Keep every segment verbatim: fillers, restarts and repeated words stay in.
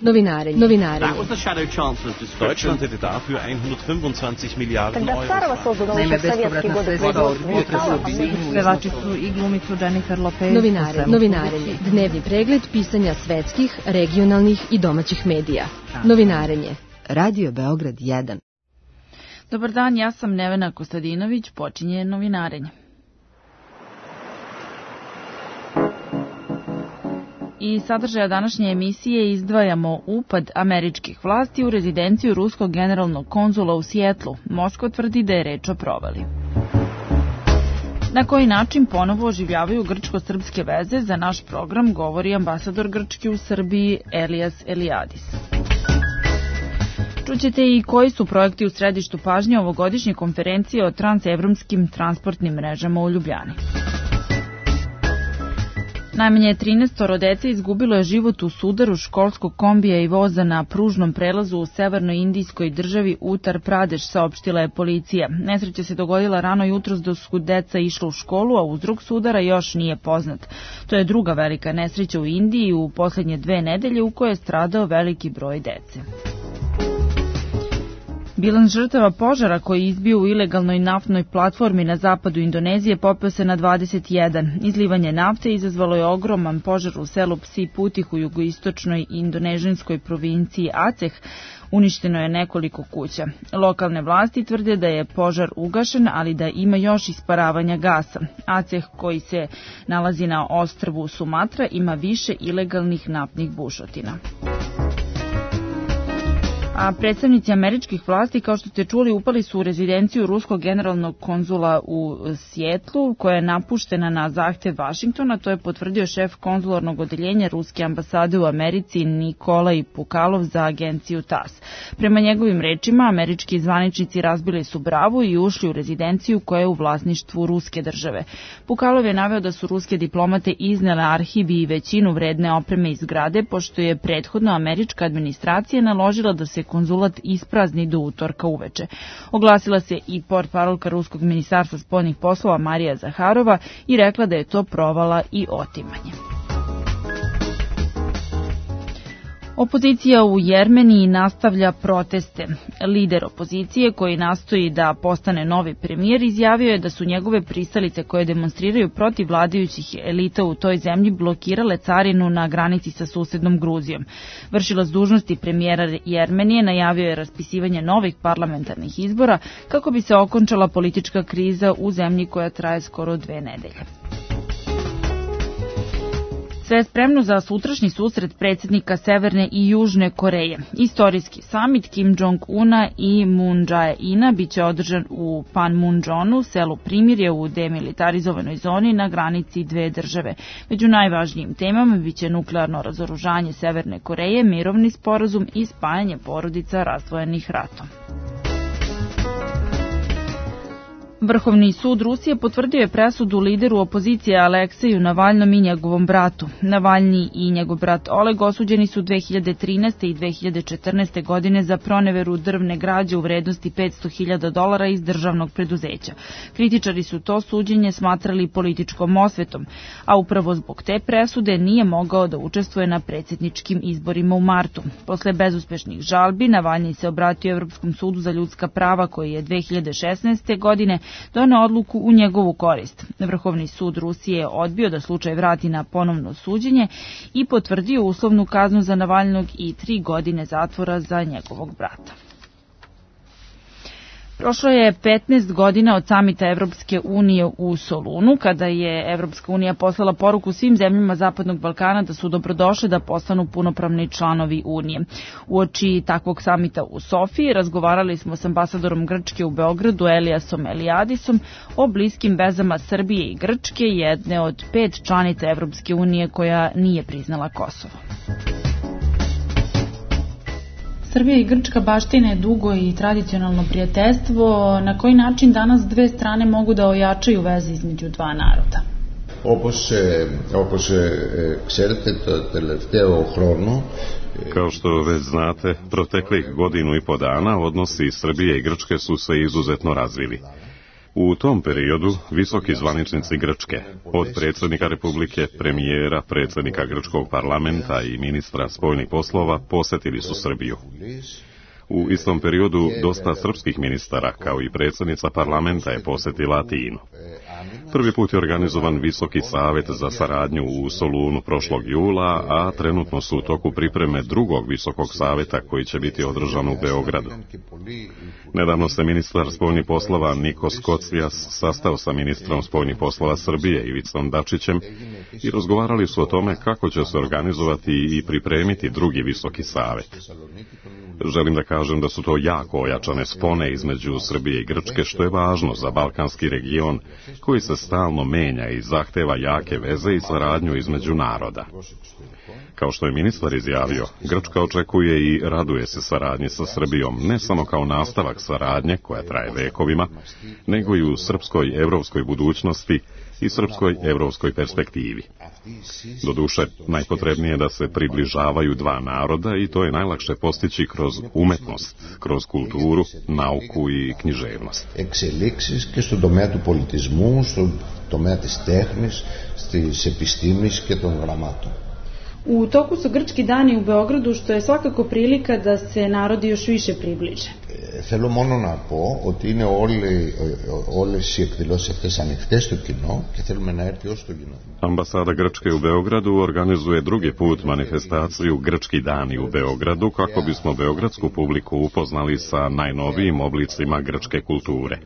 Novinarenje. Novinarenje. Deutschland hätte dafür hundertfünfundzwanzig Milliarden Euro. Naime, bespovratna sredstva od unutrašnjeg bilinju. Pevači su i glumicu Jennifer Lopez. Novinarenje. Novinarenje. Dnevni pregled pisanja svetskih, regionalnih i domaćih medija. Novinarenje. Radio Beograd jedan. Dobar dan, ja sam Nevena Kostadinović, počinje Novinarenje. I sadržaja današnje emisije izdvajamo upad američkih vlasti u rezidenciju ruskog generalnog konzula u Sijetlu. Moskva tvrdi da je reč o provali. Na koji način ponovo oživljavaju grčko-srpske veze, za naš program govori ambasador Grčke u Srbiji Elias Eliadis. Čućete i koji su projekti u središtu pažnje ovogodišnje konferencije o transevropskim transportnim mrežama u Ljubljani. Najmanje trinaestoro dece izgubilo je život u sudaru školskog kombija i voza na pružnom prelazu u severnoj indijskoj državi Uttar Pradeš, saopštila je policija. Nesreća se dogodila rano jutros dok su deca išla u školu, a uzrok sudara još nije poznat. To je druga velika nesreća u Indiji u poslednje dve nedelje u kojoj je stradao veliki broj dece. Bilans žrtava požara koji je izbio u ilegalnoj naftnoj platformi na zapadu Indonezije popeo se na dvadeset jedan. Izlivanje nafte izazvalo je ogroman požar u selu Psi Putih u jugoistočnoj indonežanskoj provinciji Aceh. Uništeno je nekoliko kuća. Lokalne vlasti tvrde da je požar ugašen, ali da ima još isparavanja gasa. Aceh, koji se nalazi na ostrvu Sumatra, ima više ilegalnih naftnih bušotina. A predstavnici američkih vlasti, kao što ste čuli, upali su u rezidenciju ruskog generalnog konzula u Sijetlu, koja je napuštena na zahtev Vašingtona. To je potvrdio šef konzularnog odeljenja ruske ambasade u Americi Nikolaj Pukalov za agenciju T A S. Prema njegovim rečima, američki zvaničnici razbili su bravu i ušli u rezidenciju koja je u vlasništvu ruske države. Pukalov je naveo da su ruske diplomate iznele arhiv i većinu vredne opreme iz zgrade, pošto je prethodno američka administracija naložila da se konzulat isprazni do utorka uveče. Oglasila se i portparolka ruskog ministarstva spoljnih poslova Marija Zaharova i rekla da je to provala i otimanje. Opozicija u Jermeniji nastavlja proteste. Lider opozicije, koji nastoji da postane novi premijer, izjavio je da su njegove pristalice koje demonstriraju protiv vladajućih elita u toj zemlji blokirale carinu na granici sa susednom Gruzijom. Vršilac dužnosti premijera Jermenije najavio je raspisivanje novih parlamentarnih izbora kako bi se okončala politička kriza u zemlji koja traje skoro dve nedelje. Sve je spremno za sutrašnji susret predsjednika Severne i Južne Koreje. Istorijski samit Kim Jong-una i Moon Jae-ina biće održan u Panmunjonu, selu Primirje u demilitarizovanoj zoni na granici dve države. Među najvažnijim temama biće nuklearno razoružanje Severne Koreje, mirovni sporazum i spajanje porodica razdvojenih ratom. Vrhovni sud Rusije potvrdio je presudu lideru opozicije Alekseju Navalnom i njegovom bratu. Navalnji i njegov brat Oleg osuđeni su dve hiljade trinaeste i dve hiljade četrnaeste. godine za proneveru drvne građe u vrednosti petsto hiljada dolara iz državnog preduzeća. Kritičari su to suđenje smatrali političkom osvetom, a upravo zbog te presude nije mogao da učestvuje na predsjedničkim izborima u martu. Posle bezuspešnih žalbi, Navalnji se obratio Evropskom sudu za ljudska prava koji je dve hiljade šesnaeste. godine doneo odluku u njegovu korist. Vrhovni sud Rusije je odbio da slučaj vrati na ponovno suđenje i potvrdio uslovnu kaznu za Navalnog i tri godine zatvora za njegovog brata. Prošlo je petnaest godina od samita Evropske unije u Solunu, kada je Evropska unija poslala poruku svim zemljama Zapadnog Balkana da su dobrodošli da postanu punopravni članovi Unije. Uoči takvog samita u Sofiji razgovarali smo s ambasadorom Grčke u Beogradu Eliasom Eliadisom o bliskim vezama Srbije i Grčke, jedne od pet članica Evropske unije koja nije priznala Kosovo. Srbija i Grčka baštine dugo i tradicionalno prijateljstvo. Na koji način danas dve strane mogu da ojačaju veze između dva naroda? Όπως, όπως ξέρετε, το τελευταίο χρόνο Kao što već znate, proteklih godinu i po dana odnosi Srbije i Grčke su se izuzetno razvili. U tom periodu visoki zvaničnici Grčke, od predsjednika Republike, premijera, predsjednika Grčkog parlamenta i ministra spoljnih poslova, posjetili su Srbiju. U istom periodu dosta srpskih ministara, kao i predsjednica parlamenta, je posjetila Atinu. Prvi put je organizovan Visoki savjet za saradnju u Solunu prošlog jula, a trenutno su u toku pripreme drugog Visokog savjeta koji će biti održan u Beogradu. Nedavno se ministar spoljnih poslova Nikos Kocijas sastao sa ministrom spoljnih poslova Srbije Ivicom Dačićem i razgovarali su o tome kako će se organizovati i pripremiti drugi Visoki savjet. Želim da kažem da su to jako ojačane spone između Srbije i Grčke, što je važno za balkanski region koji se stalno menja i zahteva jake veze i saradnju između naroda. Kao što je ministar izjavio, Grčka očekuje i raduje se saradnji sa Srbijom ne samo kao nastavak saradnje koja traje vekovima, nego i u srpskoj evropskoj budućnosti i srpskoj evropskoj perspektivi. Doduše, najpotrebnije je da se približavaju dva naroda i to je najlakše postići kroz umetnost, kroz kulturu, nauku i književnost. Εξελίξεις και στον τομέα του πολιτισμού, στον τομέα της τέχνης, στις επιστήμες και των γραμμάτων. U toku su grčki dani u Beogradu, što je svakako prilika da se narodi još više približe. Θέλω μόνο να πω ότι είναι όλοι, όλες οι εκδηλώσεις αυτές ανοιχτές στο κοινό και θέλουμε να έρθει ως το κοινό. Ambasada Grčke u Beogradu organizuje drugi put manifestaciju Grčki dani u Beogradu kako bismo beogradsku publiku upoznali sa najnovijim oblicima grčke kulture.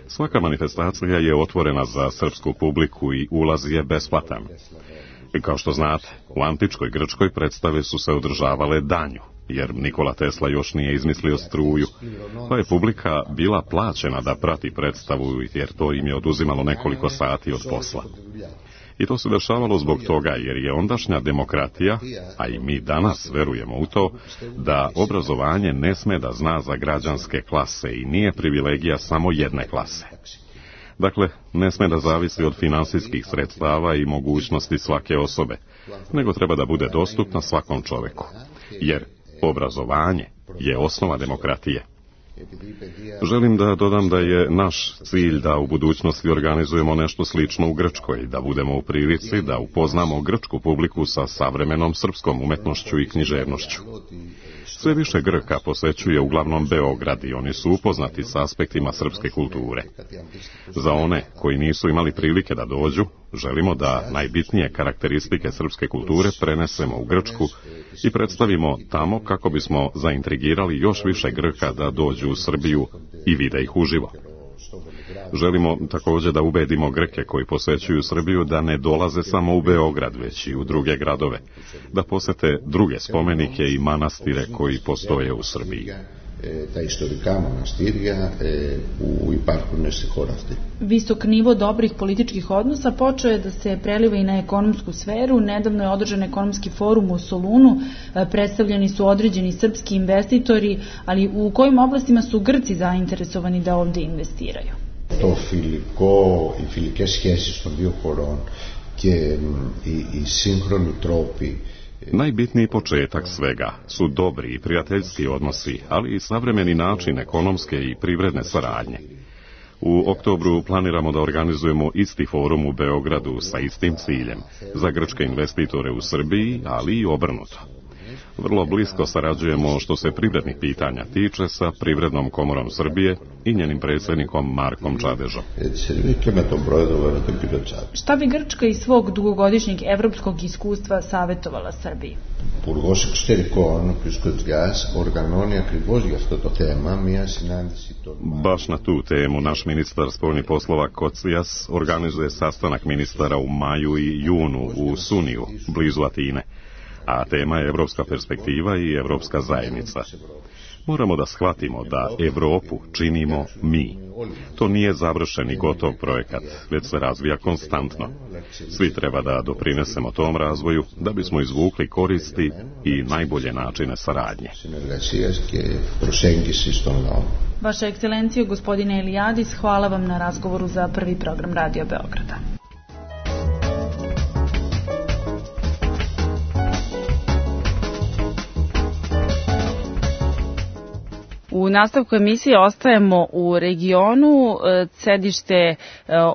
Svaka manifestacija je otvorena za srpsku publiku i ulaz je besplatan. I kao što znate, u antičkoj Grčkoj predstave su se održavale danju, jer Nikola Tesla još nije izmislio struju, pa je publika bila plaćena da prati predstavu, jer to im je oduzimalo nekoliko sati od posla. I to se dešavalo zbog toga, jer je ondašnja demokratija, a i mi danas verujemo u to, da obrazovanje ne sme da zna za građanske klase i nije privilegija samo jedne klase. Dakle, ne sme da zavisi od finansijskih sredstava i mogućnosti svake osobe, nego treba da bude dostupna svakom čoveku, jer obrazovanje je osnova demokratije. Želim da dodam da je naš cilj da u budućnosti organizujemo nešto slično u Grčkoj, da budemo u prilici da upoznamo grčku publiku sa savremenom srpskom umetnošću i književnošću. Sve više Grka posećuje uglavnom Beograd i oni su upoznati sa aspektima srpske kulture. Za one koji nisu imali prilike da dođu, želimo da najbitnije karakteristike srpske kulture prenesemo u Grčku i predstavimo tamo kako bismo zaintrigirali još više Grka da dođu u Srbiju i vide ih uživo. Želimo također da ubedimo Grke koji posećuju Srbiju da ne dolaze samo u Beograd, već i u druge gradove, da posete druge spomenike i manastire koji postoje u Srbiji. Τα ιστορικά μοναστήρια που υπάρχουν στη χώρα αυτή. Visok nivo dobrih političkih odnosa počeo je da se preliva i na ekonomsku sferu. Nedavno je održan ekonomski forum u Solunu, predstavljeni su određeni srpski investitori, ali u kojim oblastima su Grci zainteresovani da ovde investiraju? Το φιλικό, οι φιλικές σχέσεις των δύο χωρών και οι, οι σύγχρονοι τρόποι. Najbitniji početak svega su dobri i prijateljski odnosi, ali i savremeni način ekonomske i privredne saradnje. U oktobru planiramo da organizujemo isti forum u Beogradu sa istim ciljem, za grčke investitore u Srbiji, ali i obrnuto. Vrlo blisko sarađujemo što se privrednih pitanja tiče sa Privrednom komorom Srbije i njenim predsjednikom Markom Čadežom. Šta bi Grčka iz svog dugogodišnjeg evropskog iskustva savjetovala Srbiji? Υπουργός Εξωτερικών, ο κ. Κοτσιάς, οργανώνει ακριβώς για αυτό το θέμα μια συνάντηση των... Baš na tu temu naš ministar spoljnih poslova Kocijas organizuje sastanak ministara u maju i junu u Suniju, blizu Atine, a tema je evropska perspektiva i evropska zajednica. Moramo da shvatimo da Evropu činimo mi. To nije završen i gotov projekat, već se razvija konstantno. Svi treba da doprinesemo tom razvoju da bismo izvukli koristi i najbolje načine saradnje. Vaša ekscelencijo, gospodine Elijadis, hvala vam na razgovoru za prvi program Radio Beograda. U nastavku emisije ostajemo u regionu. Sedište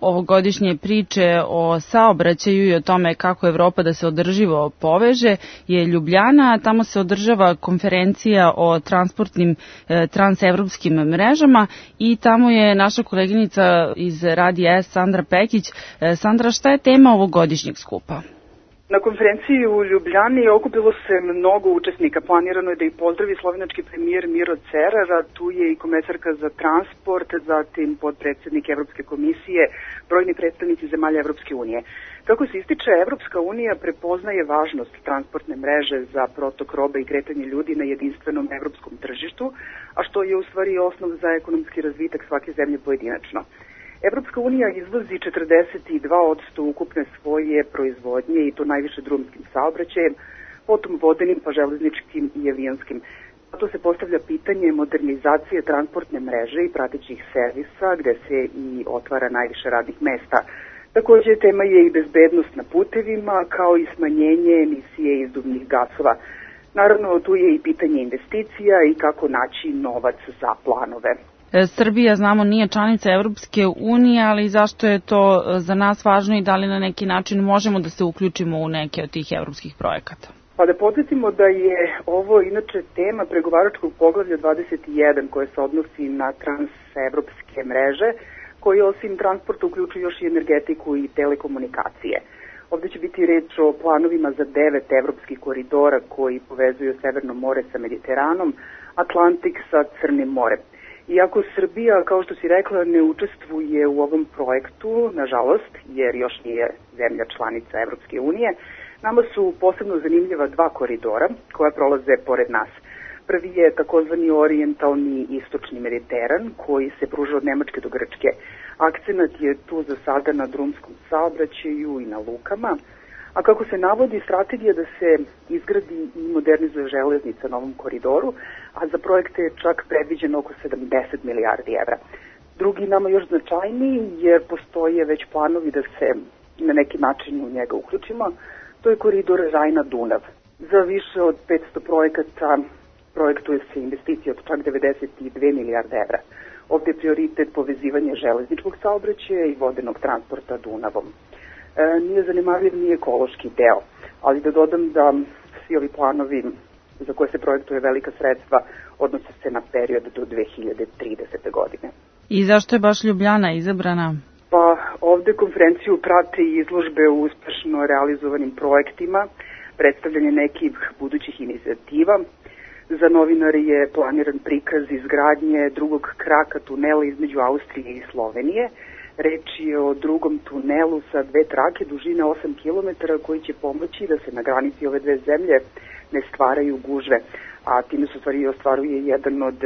ovogodišnje priče o saobraćaju i o tome kako Evropa da se održivo poveže je Ljubljana. Tamo se održava konferencija o transportnim transevropskim mrežama i tamo je naša koleginica iz Radija S, Sandra Pekić. Sandra, šta je tema ovogodišnjeg skupa? Na konferenciji u Ljubljani okupilo se mnogo učesnika. Planirano je da i pozdravi slovenački premijer Miro Cerar, a tu je i komesarka za transport, zatim podpredsednik Evropske komisije, brojni predstavnici zemalja Evropske unije. Kako se ističe, Evropska unija prepoznaje važnost transportne mreže za protok robe i kretanje ljudi na jedinstvenom evropskom tržištu, a što je u stvari osnov za ekonomski razvitak svake zemlje pojedinačno. Evropska unija izvozi četrdeset dva posto ukupne svoje proizvodnje i to najviše drumskim saobraćajem, potom vodenim pa železničkim i avionskim. Zato se postavlja pitanje modernizacije transportne mreže i pratećih servisa gde se i otvara najviše radnih mesta. Takođe, tema je i bezbednost na putevima kao i smanjenje emisije izduvnih gasova. Naravno, tu je i pitanje investicija i kako naći novac za planove. Srbija, znamo, nije članica Evropske unije, ali zašto je to za nas važno i da li na neki način možemo da se uključimo u neke od tih evropskih projekata? Pa da podsjetimo da je ovo inače tema pregovaračkog poglavlja dvadeset jedan koje se odnosi na transevropske mreže, koji osim transporta uključuju još i energetiku i telekomunikacije. Ovde će biti reč o planovima za devet evropskih koridora koji povezuju Severno more sa Mediteranom, Atlantik sa Crnim morem. Iako Srbija, kao što si rekla, ne učestvuje u ovom projektu, nažalost, jer još nije zemlja članica Evropske unije, nama su posebno zanimljiva dva koridora koja prolaze pored nas. Prvi je takozvani orijentalni istočni Mediteran koji se pruža od Nemačke do Grčke. Akcenat je tu za sada na drumskom saobraćaju i na lukama, a kako se navodi, strategija da se izgradi i modernizuje železnica na ovom koridoru, a za projekte je čak predviđeno oko sedamdeset milijardi evra. Drugi, nama još značajniji, jer postoje već planovi da se na neki način u njega uključimo, to je koridor Rajna-Dunav. Za više od petsto projekata projektuje se investicija od čak devedeset dve milijarde evra. Ovde je prioritet povezivanje železničkog saobraćaja i vodenog transporta Dunavom. E, nije zanemarljiv ni ekološki deo, ali da dodam da svi ovi planovi za koje se projektuje velika sredstva odnose se na period do dve hiljade tridesete. godine. I zašto je baš Ljubljana izabrana? Pa ovde konferenciju prate i izložbe u uspešno realizovanim projektima, predstavljanje nekih budućih inicijativa. Za novinare je planiran prikaz izgradnje drugog kraka tunela između Austrije i Slovenije. Reč je o drugom tunelu sa dve trake dužine osam kilometara koji će pomoći da se na granici ove dve zemlje ne stvaraju gužve, a time se stvari ostvaruje jedan od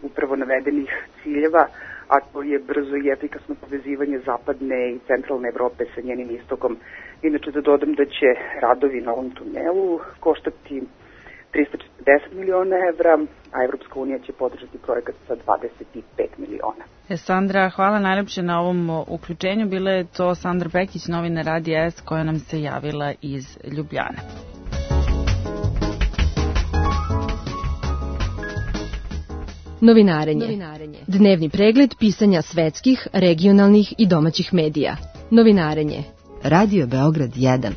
upravo navedenih ciljeva, a to je brzo i efikasno povezivanje zapadne i centralne Evrope sa njenim istokom. Inače da dodam da će radovi na ovom tunelu koštati trista četrdeset miliona evra, a Evropska unija će podržati projekat sa dvadeset pet miliona. Sandra, hvala najlepše na ovom uključenju. Bila je to Sandra Pekić, novina Radija S, koja nam se javila iz Ljubljane. Novinarenje. Novinarenje. Dnevni pregled pisanja svetskih, regionalnih i domaćih medija. Novinarenje. Radio Beograd jedan.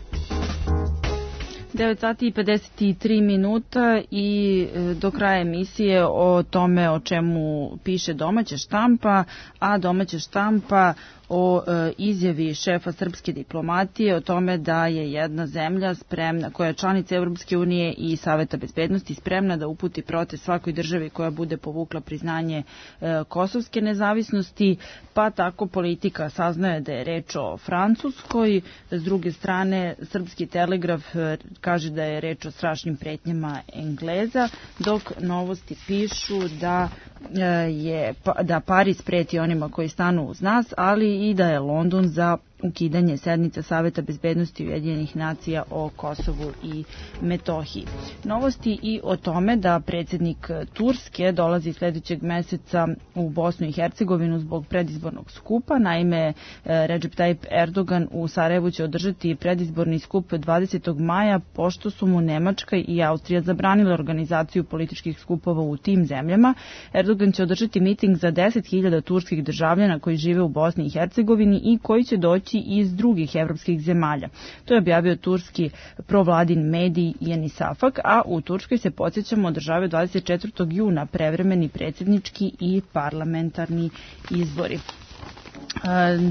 devet sati i pedeset tri minuta i do kraja emisije o tome o čemu piše domaća štampa, a domaća štampa o e, izjavi šefa srpske diplomatije o tome da je jedna zemlja spremna, koja je članica Evropske unije i Saveta bezbednosti, spremna da uputi protest svakoj državi koja bude povukla priznanje e, kosovske nezavisnosti, pa tako Politika saznaje da je reč o Francuskoj. S druge strane, Srpski telegraf e, kaže da je reč o strašnim pretnjama Engleza, dok Novosti pišu da je da Pariz preti onima koji stanu uz nas, ali i da je London za ukidanje sednica Saveta bezbednosti Ujedinjenih nacija o Kosovu i Metohiji. Novosti i o tome da predsjednik Turske dolazi sledećeg meseca u Bosnu i Hercegovinu zbog predizbornog skupa. Naime, Recep Tayyip Erdogan u Sarajevu će održati predizborni skup dvadesetog maja, pošto su mu Nemačka i Austrija zabranile organizaciju političkih skupova u tim zemljama. Erdogan će održati miting za deset hiljada turskih državljana koji žive u Bosni i Hercegovini i koji će doći iz drugih evropskih zemalja. To je objavio turski provladin medij Yeni Safak, a u Turskoj se, podsjećamo, održavaju dvadeset četvrtog juna prevremeni predsjednički i parlamentarni izbori.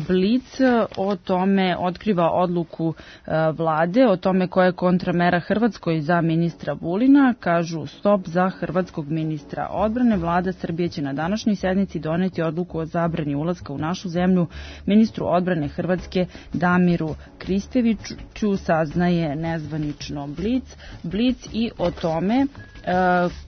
Blic o tome otkriva odluku vlade, o tome koja je kontramera Hrvatskoj za ministra Vulina. Kažu stop za hrvatskog ministra odbrane. Vlada Srbije će na današnjoj sednici doneti odluku o zabrani ulaska u našu zemlju ministru odbrane Hrvatske Damiru Kristeviću, saznaje nezvanično Blic. Blic i o tome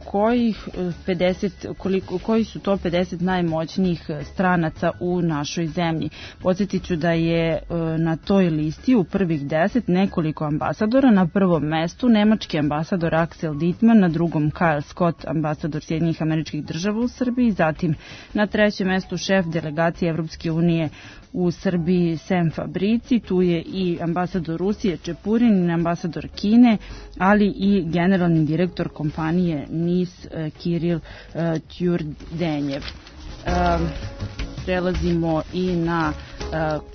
kojih pedeset, koliko, koji su to pedeset najmoćnijih stranaca u našoj zemlji. Podsjetit ću da je na toj listi u prvih deset nekoliko ambasadora. Na prvom mestu nemački ambasador Axel Dittmann, na drugom Kyle Scott, ambasador Sjedinjenih Američkih Država u Srbiji, zatim na trećem mestu šef delegacije Evropske unije u Srbiji Sam Fabrici, tu je i ambasador Rusije Čepurin, ambasador Kine, ali i generalni direktor kompanije NIS Kiril Tjurdenjev. Prelazimo i na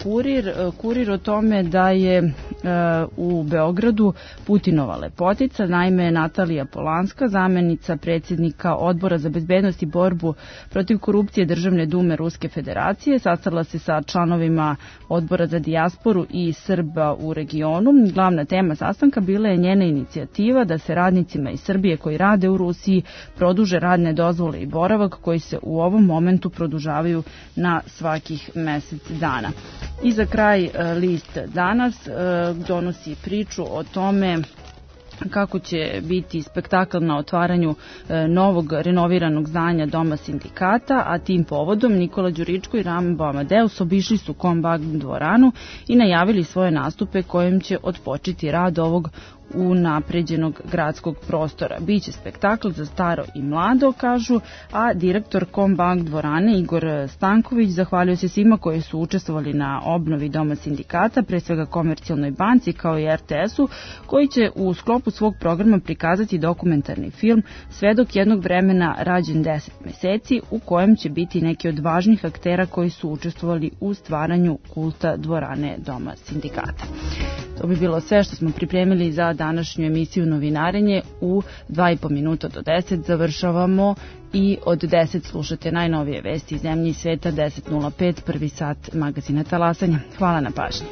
Kurir. Kurir o tome da je u Beogradu Putinova lepotica, naime Natalija Polanska, zamenica predsjednika Odbora za bezbednost i borbu protiv korupcije Državne dume Ruske federacije, sastala se sa članovima Odbora za dijasporu i Srba u regionu. Glavna tema sastanka bila je njena inicijativa da se radnicima iz Srbije koji rade u Rusiji produže radne dozvole i boravak koji se u ovom momentu produžavaju na svakih mesec dana. I za kraj list Danas donosi priču o tome kako će biti spektakl na otvaranju novog renoviranog zdanja Doma sindikata, a tim povodom Nikola Đuričko i Rambo Amadeus obišli su Kombagn dvoranu i najavili svoje nastupe kojim će otpočeti rad ovog unapređenog gradskog prostora. Biće spektakl za staro i mlado, kažu, a direktor Kombagn dvorane Igor Stanković zahvalio se svima koji su učestvovali na obnovi Doma sindikata, pre svega Komercijalnoj banci kao i er te esu, koji će u sklopu svog programa prikazati dokumentarni film Svedok jednog vremena rađen deset meseci, u kojem će biti neki od važnih aktera koji su učestvovali u stvaranju kulta dvorane Doma sindikata. To bi bilo sve što smo pripremili za današnju emisiju Novinarenje. U dva i po minuta do deset završavamo i od deset slušate najnovije vesti iz zemlje i sveta. Deset nula pet, prvi sat magazina Talasanja. Hvala na pažnji.